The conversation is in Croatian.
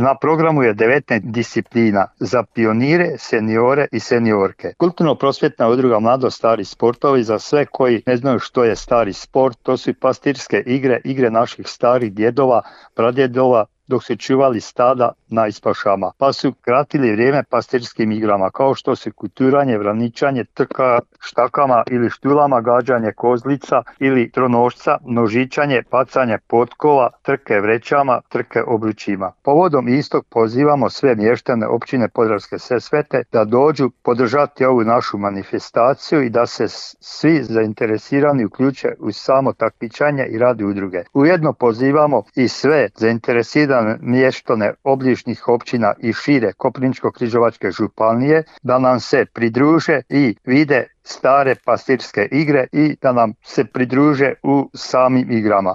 Na programu je 19 disciplina za pionire, seniore i seniorke. Kulturno-prosvjetna udruga Mladost stari sportovi za sve koji ne znaju što je stari sport, to su i pastirske igre, igre naših starih djedova, pradjedova, dok su čuvali stada na ispašama, pa su kratili vrijeme pastirskim igrama, kao što su kuturanje, vraničanje, trka štakama ili štulama, gađanje kozlica ili tronošca, nožičanje, pacanje potkova, trke vrećama, trke obručima. Povodom istog pozivamo sve mještane općine Podravske Sesvete da dođu podržati ovu našu manifestaciju i da se svi zainteresirani uključe u samo takmičenje i rad udruge. Ujedno pozivamo i sve zainteresirane mještane obližnjih općina i šire Koprivničko-križevačke županije da nam se pridruže i vide stare pastirske igre i da nam se pridruže u samim igrama.